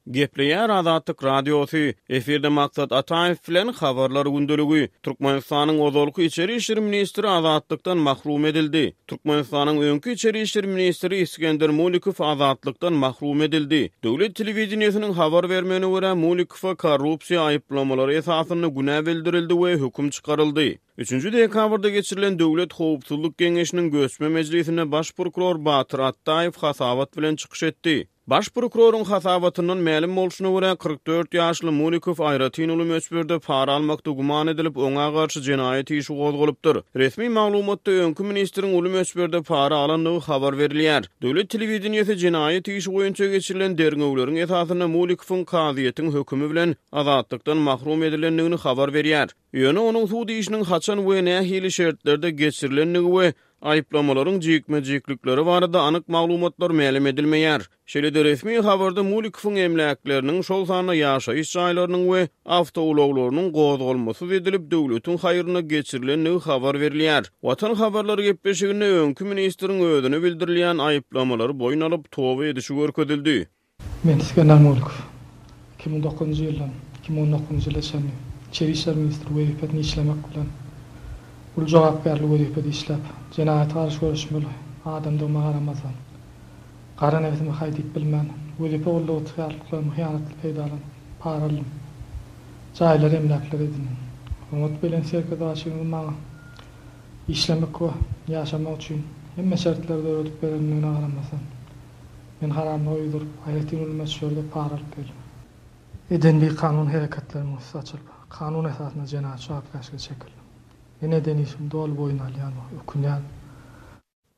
Gepleýär Azatlyk Radiosy, efirde Maksat Ataýew bilen Habarlar gündeligi. Türkmenistanyň ozalky içeri işler ministri azatlykdan mahrum edildi. Türkmenistanyň öňki içeri işler ministri Isgender Mulikow azatlykdan mahrum edildi. Döwlet telewideniýesiniň habar bermegine görä, Mulikowa korrupsiýa aýyplamalary esasynda günä bildirildi we höküm çykaryldy. Üçünji dekabrda geçirilen Döwlet howpsuzlyk geňeşiniň göçme mejlisinde baş prokuror Batyr Atdaýew hasabat bilen çykyş etdi. Baş prokuroryň hasabatyndan mälim bolşuna görä, 44 ýaşly Mulikow aýratyn uly möçberde para almakda güman edilip, oňa garşy jenaýat işi gozgalypdyr. Resmi maglumatda öňki ministriň uly möçberde para alandygy habar berilýär. Döwlet telewideniýesi jenaýat işi boýunça geçirilen derňewleriň esasynda Mulikowyň kazyýetiň hökümi bilen azatlykdan mahrum edilendigini habar berýär. Ýöne onuň sud işiniň haçan we nähili şertlerde geçirilendigi we aýyplamalaryň jikme-jiklikleri barada anyk maglumatlar mälim edilmeýär. Şeýle-de resmi habarda Mulikowyň emläkleriniň, şol sanda ýaşaýyş jaýlarynyň we awtoulaglarynyň gozgalmasyz edilip, döwletiň haýryna geçirilendigi habar berilýär. Watan habarlary gepleşiginde öňki ministriň özüne bildirilýän aýyplamalary boýun alyp, toba edişi görkezildi. Men Isgender Mulkow. 2009-njy ýyldan 2019-njy ýyla çenli Içeri işler ministri wezipesinde işlemek bilen, uly jogapkärli wezipede işläp, jenaýata garşy göreşmeli adamdygyma garamazdan, gara nebsime haý diýip bilmän, wezipe gulluk ygtyýarlyklarymy hyýanatly peýdalanyp, para aldym. Jaýlar, emläkler edindim. Hormatly Belent Serkerdebaşymyzyň maňa işlemek we ýaşamak üçin hemme şertleri döredip berendigine garamazdan, Men haramlyga ýüz urup, aýratyn uly möçberde para alyp geldim. Eden bikanun hereketlerimiň üsti açylyp, kanun esasynda jenaýat jogapkärçilige çekildim. Men eden işimi doly boýun alýan we ökünýän.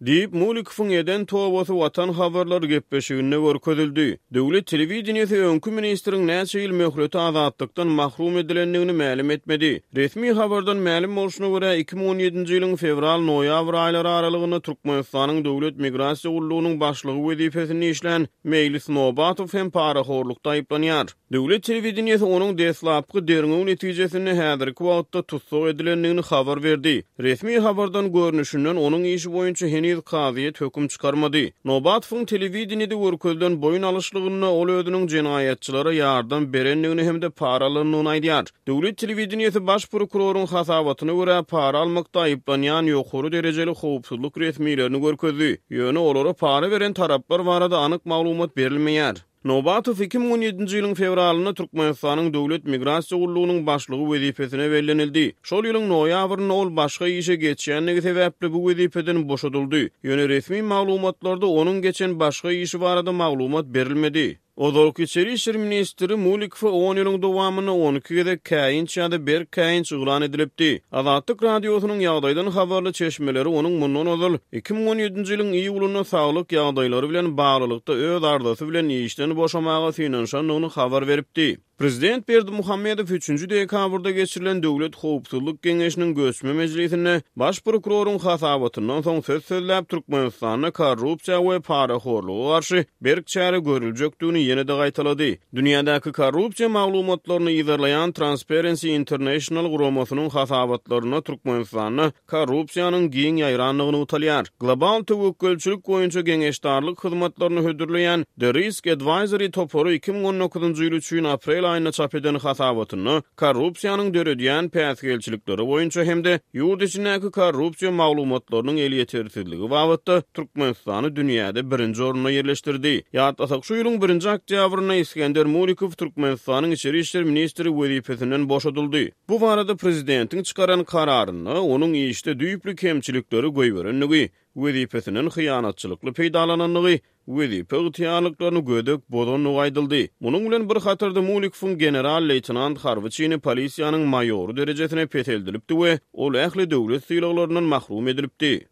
Diýip, Mulikowyň eden tobasy Watan habarlary gepleşiginde görkezildi. Döwlet telewideniýesi öňki ministriň näçe ýyl möhlete azatlykdan mahrum edilendigini mälim etmedi. Resmi habardan mälim bolşuna görä, 2017-nji ýylyň fewral-noýabr aýlary aralygynda Türkmenistanyň Döwlet migrasiýa gullugynyň başlygy wezipesinde işlän Meýlis Nobatow hem parahorlukda aýyplanýar. Döwlet telewideniýesi onuň deslapky derňew netijesinde häzirki wagtda tussag edilendigini habar berdi. Resmi habardan görnüşinden, onuň işi boýunça heniz kazyýet höküm çykarmady. Nobatowyň telewideniýede görkezilen boýun alyşlygynda ol özüniň jenaýatçylara ýardam berendigini hem-de para alandygyny aýdýar. Döwlet telewideniýesi baş prokuroryň hasabatyna görä, para almakda aýyplanýan ýokary derejeli howpsuzlyk resmilerini görkezdi. Ýöne olara para beren taraplar barada anyk maglumat berilmeýär. Nobatow 2017-nji ýylyň fewralynda Türkmenistanyň Döwlet migrasiýa gullugynyň başlygy wezipesine bellenildi. Şol ýylyň noýabrynda ol başga işe geçýändigi sebäpli bu wezipeden boşadyldy. Ýöne resmi maglumatlarda onuň geçen başga işi barada maglumat berilmedi. Ozalky içeri işler ministri Mulikowa on ýylyň dowamynda 12 gezek käýinç ýa-da berk käýinç yglan edilipdi. Azatlyk Radiosynyň ýagdaýdan habarly çeşmeleri onuň mundan ozal, 2017-nji ýylyň iýulynda saglyk ýagdaýlary bilen baglylykda öz arzasy bilen işden boşamaga synanyşandygyny habar beripdi. Prezident Berdimuhamedow üçünji dekabrda geçirilen Döwlet howpsuzlyk geňeşiniň göçme mejlisinde baş prokuroryň hasabatyndan soň söz sözläp, Türkmenistanda korrupsiýa we parahorluga garşy berk çäre görüljekdigini ýene-de gaýtalady. Dünýädäki korrupsiýa maglumatlaryny yzarlaýan Transparency International guramasynyň hasabatlarynda Türkmenistanda korrupsiýanyň giň ýaýrandygy nygtalýar. Global töwekgelçilik boýunça geňeşdarlyk hyzmatlaryny hödürleýän The Risk Advisory topary 2019-njy ýyl üçin aprel aýynda çap eden hasabatynda korrupsiýanyň döredýän päsgelçilikleri boýunça hem-de ýurt içindäki korrupsiýa maglumatlarynyň elýetersizligi babatda Türkmenistany dünýäde birinji orunda ýerleşdirdi. Ýatlasak, şu ýylyň birinji oktýabrynda Isgender Mulikow Türkmenistanyň içeri işler ministri wezipesinden boşadyldy. Bu barada prezidentiň çykaran kararynda onuň işde düýpli kemçilikleri goýberendigi, wezipesinden hyýanatçylykly peýdalanandygy, wezipe ygtyýarlyklaryny gödek bozandygy aýdyldy. Munuň bilen bir hatarda Mulikowyň general-leýtenant harby çini polisiýanyň maýory derejesine peseldilipdi we ol ähli döwlet sylaglaryndan mahrum edilipdi.